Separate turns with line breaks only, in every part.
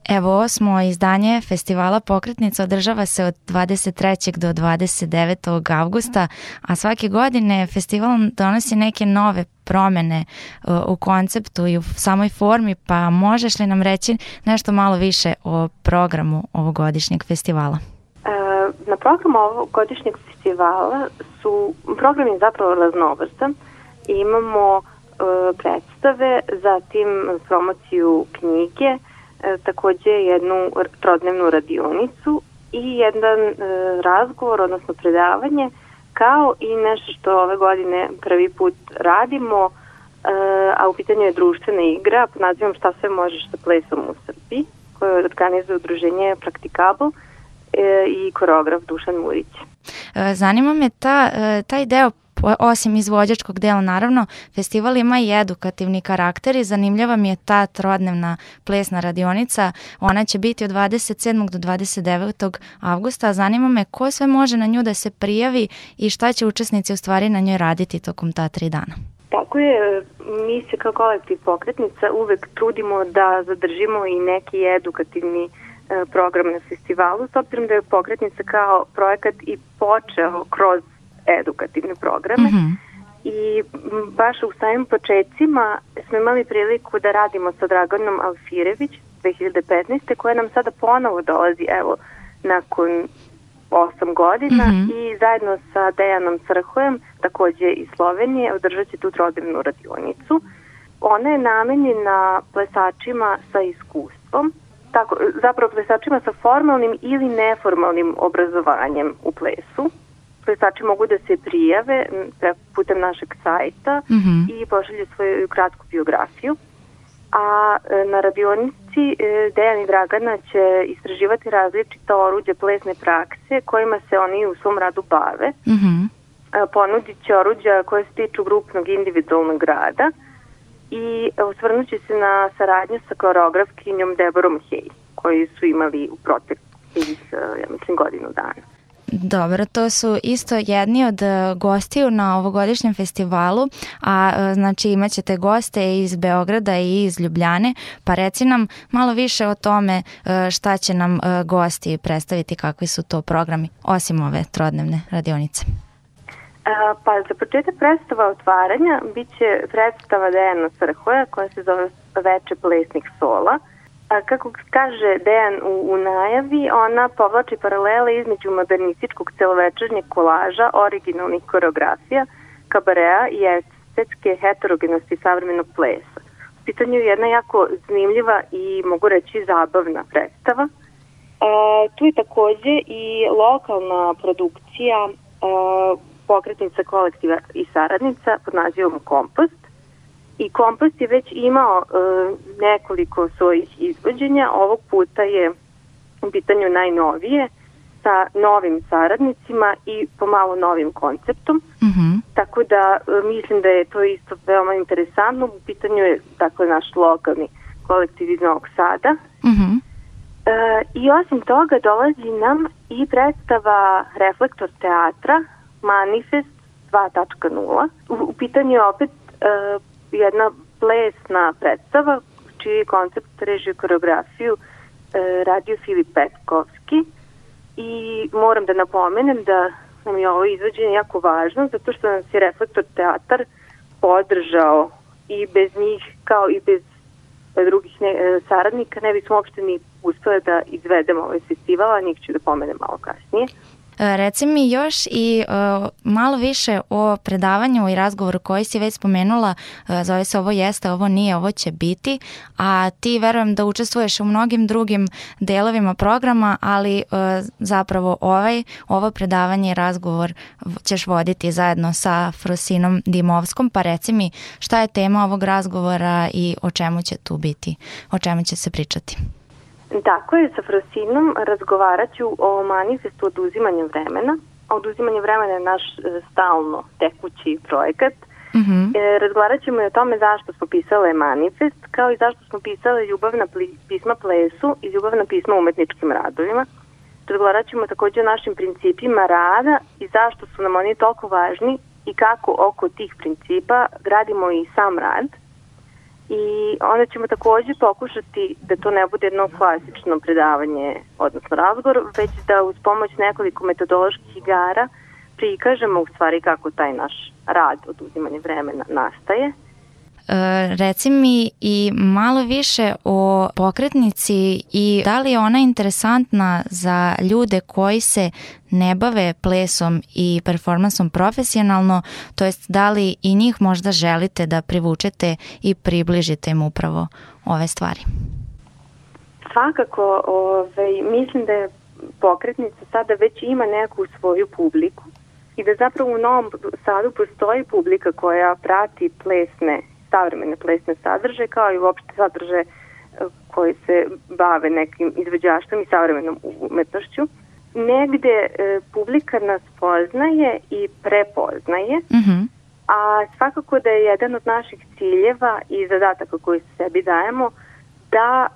Evo, 8. izdanje festivala Pokretnica održava se od 23. do 29. avgusta, a svake godine festival donosi neke nove promene u konceptu i u samoj formi, pa možeš li nam reći nešto malo više o programu ovogodišnjeg festivala?
Na programu ovogodišnjeg festivala program je zapravo raznovrstan. Imamo predstave, zatim promociju knjige, takođe jednu trodnevnu radionicu i jedan razgovor, odnosno predavanje, kao i nešto što ove godine prvi put radimo, a u pitanju je društvena igra pod nazivom Šta sve možeš sa plesom u Srbiji, koju organizuje udruženje Praktikabl i koreograf Dušan Murić.
Zanima me taj deo, osim izvođačkog dela, naravno, festival ima i edukativni karakter i zanimljiva mi je ta trodnevna plesna radionica. Ona će biti od 27. do 29. avgusta. Zanima me ko sve može na nju da se prijavi i šta će učesnici u stvari na njoj raditi tokom ta 3 dana.
Tako je, mi se kao kolektiv Pokretnica uvek trudimo da zadržimo i neki edukativni program na festivalu, s obzirom da je Pokretnica kao projekat i počeo kroz edukativne programe. I baš u samim početcima smo imali priliku da radimo sa Draganom Alfirević 2015. koja nam sada ponovo dolazi nakon 8 godina i zajedno sa Dejanom Crhojem, takođe iz Slovenije, održat će tu trodnevnu radionicu. Ona je namenjena plesačima sa iskustvom, zapravo plesačima sa formalnim ili neformalnim obrazovanjem u plesu. Plesači mogu da se prijave putem našeg sajta i pošalju svoju kratku biografiju. A na radionici Dejan i Dragana će istraživati različita oruđa plesne prakse kojima se oni u svom radu bave. Ponudit će oruđa koje se tiču grupnog individualnog rada i osvrnut će se na saradnju sa koreografkinjom Deborom Hej, koji su imali u proteklih, godinu dana.
Dobro, to su isto jedni od gostiju na ovogodišnjem festivalu, a znači imat ćete goste iz Beograda i iz Ljubljane, pa reci nam malo više o tome šta će nam gosti predstaviti, kakvi su to programi, osim ove trodnevne radionice.
Pa za početak predstava otvaranja bit će predstava Dejana Crhoja koja se zove Veče plesnih sola. Kako kaže Dejan u najavi, ona povlači paralele između modernističkog celovečernjeg kolaža, originalnih koreografija, kabarea i estetske heterogenosti savremenog plesa. U pitanju je jedna jako zanimljiva i mogu reći zabavna predstava. Tu je takođe i lokalna produkcija Pokretnica kolektiva i saradnica pod nazivom Kompost. I Kompost je već imao nekoliko svojih izvođenja. Ovog puta je u pitanju najnovije sa novim saradnicima i pomalo novim konceptom. Tako da mislim da je to isto veoma interesantno. U pitanju je naš lokalni kolektiv iz Novog Sada. I osim toga dolazi nam i predstava Reflektor teatra Manifest 2.0. U pitanju je opet jedna plesna predstava čiji koncept, režiju, koreografiju radio Filip Petkovski i moram da napomenem da nam je ovo izvođenje jako važno zato što nas je Reflektor teatar podržao i bez njih kao i bez drugih saradnika ne bismo uopšte ni uspeli da izvedemo ovaj festival, a njih ću da pomenem malo kasnije.
Reci mi još i malo više o predavanju i razgovoru koji si već spomenula, zove se Ovo jeste, ovo nije, ovo će biti, a ti verujem da učestvuješ u mnogim drugim delovima programa, ali zapravo ovo predavanje i razgovor ćeš voditi zajedno sa Frosinom Dimovskom, pa reci mi šta je tema ovog razgovora i o čemu će tu biti, o čemu će se pričati.
Tako je, sa Frosinom razgovarat ću o manifestu oduzimanja vremena. Oduzimanje vremena je naš stalno tekući projekat. Razgovarat ćemo i o tome zašto smo pisale manifest, kao i zašto smo pisale ljubavna pisma plesu i ljubavna pisma umetničkim radovima. Razgovarat ćemo takođe o našim principima rada i zašto su nam oni toliko važni i kako oko tih principa gradimo i sam rad. I onda ćemo takođe pokušati da to ne bude jedno klasično predavanje, odnosno razgovor, već da uz pomoć nekoliko metodoloških igara prikažemo u stvari kako taj naš rad, oduzimanje vremena, nastaje.
Reci mi i malo više o pokretnici i da li je ona interesantna za ljude koji se ne bave plesom i performansom profesionalno, to jest da li i njih možda želite da privučete i približite im upravo ove stvari?
Svakako, mislim da je pokretnica sada već ima neku svoju publiku i da zapravo u Novom Sadu postoji publika koja prati savremene plesne sadržaje, kao i uopšte sadržaje koji se bave nekim izvođaštvom i savremenom umetnošću. Negde publika nas poznaje i prepoznaje, a svakako da je jedan od naših ciljeva i zadataka koji sebi dajemo da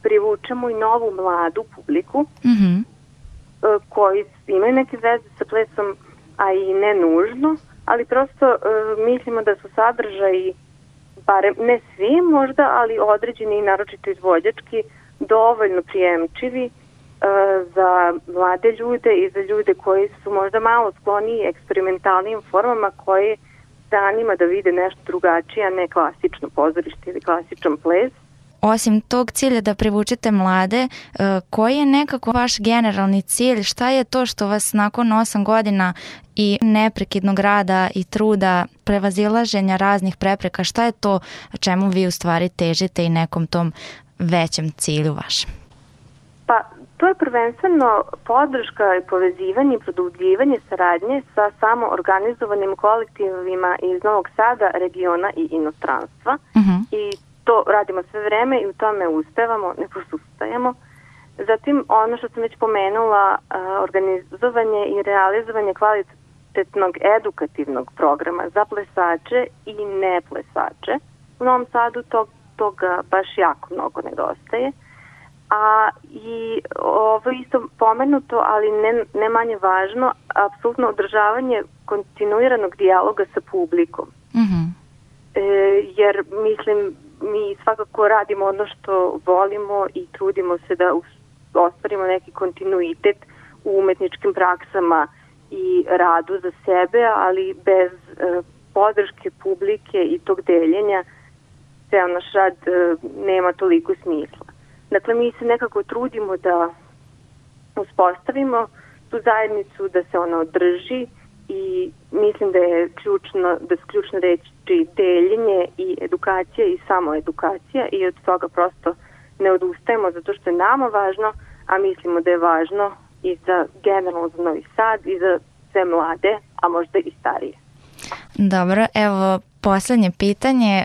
privučemo i novu mladu publiku koji imaju neke veze sa plesom, a i ne nužno, ali prosto mislimo da su sadržaji, barem ne svi možda, ali određeni i naročito izvođački, dovoljno prijemčivi za mlade ljude i za ljude koji su možda malo skloniji eksperimentalnim formama koje zanima da vide nešto drugačije, a ne klasično pozorište ili klasičan ples.
Osim tog cilja da privučete mlade, koji je nekako vaš generalni cilj? Šta je to što vas nakon 8 godina i neprekidnog rada i truda, prevazilaženja raznih prepreka, šta je to čemu vi u stvari težite i nekom tom većem cilju vašem?
Pa, to je prvenstveno podrška i povezivanje i produbljivanje saradnje sa samoorganizovanim kolektivima iz Novog Sada, regiona i inostranstva. I to radimo sve vreme i u tome uspevamo, ne posustajemo. Zatim, ono što sam već pomenula, organizovanje i realizovanje kvalitetnog edukativnog programa za plesače i ne plesače. U Novom Sadu toga baš jako mnogo nedostaje. A i ovo isto pomenuto, ali ne manje važno, apsolutno održavanje kontinuiranog dijaloga sa publikom. Jer, mislim, mi svakako radimo ono što volimo i trudimo se da ostvarimo neki kontinuitet u umetničkim praksama i radu za sebe, ali bez podrške publike i tog deljenja ceo naš rad nema toliko smisla. Dakle, mi se nekako trudimo da uspostavimo tu zajednicu, da se ona održi i mislim da je ključna reči deljenje i edukacija i samoedukacija i od toga prosto ne odustajemo zato što je nama važno, a mislimo da je važno i za generalno za Novi Sad i za sve mlade, a možda i starije.
Dobro, evo poslednje pitanje,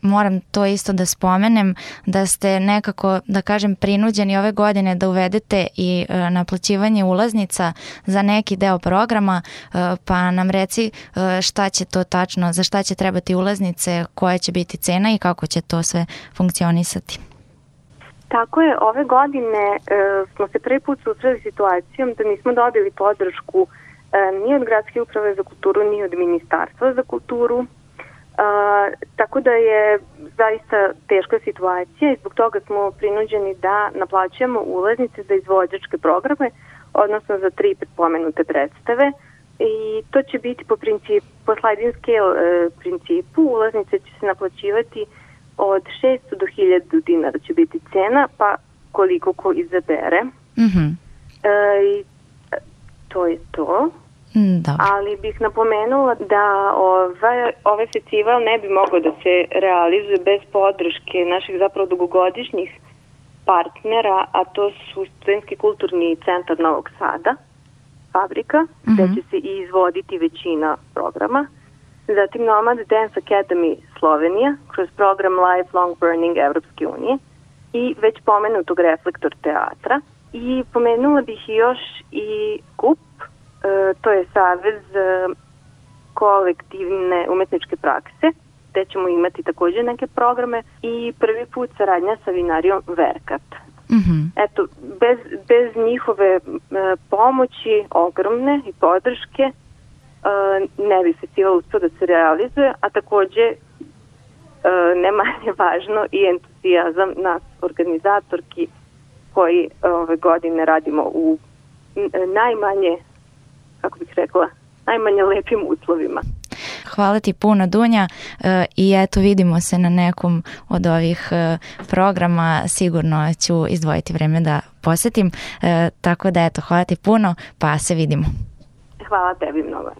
moram to isto da spomenem, da ste nekako, da kažem, prinuđeni ove godine da uvedete i naplaćivanje ulaznica za neki deo programa, pa nam reci šta će to tačno, za šta će trebati ulaznice, koja će biti cena i kako će to sve funkcionisati.
Tako je, ove godine smo se prvi put susreli situacijom da nismo dobili podršku ni od Gradske uprave za kulturu, ni od Ministarstva za kulturu. Tako da je zaista teška situacija i zbog toga smo prinuđeni da naplaćujemo ulaznice za izvođačke programe, odnosno za 3 pomenute predstave. I to će biti po sliding scale principu. Ulaznice će se naplaćivati od 600 do 1000 dinara će biti cena, pa koliko ko izabere. I to je to.
Dobro.
Ali bih napomenula da ovaj festival ne bi mogao da se realizuje bez podrške naših zapravo dugogodišnjih partnera, a to su Studentski kulturni centar Novog Sada, Fabrika, gde će se i izvoditi većina programa. Zatim Nomad Dance Academy Slovenija kroz program Lifelong Burning Evropske unije i već pomenutog Reflektor teatra. I pomenula bih još i KUP, to je Savez kolektivne umetničke prakse, gde ćemo imati takođe neke programe i prvi put saradnja sa vinarijom Verkat. Eto, bez njihove pomoći ogromne i podrške ne bi festival uspio da se realizuje, a takođe ne manje važno i entuzijazam nas organizatorki koji ove godine radimo u najmanje, kako bih rekla, najmanje lepim uslovima.
Hvala ti puno, Dunja, i eto vidimo se na nekom od ovih programa, sigurno ću izdvojiti vreme da posetim, tako da eto, hvala ti puno, pa se vidimo.
Hvala tebi mnogo.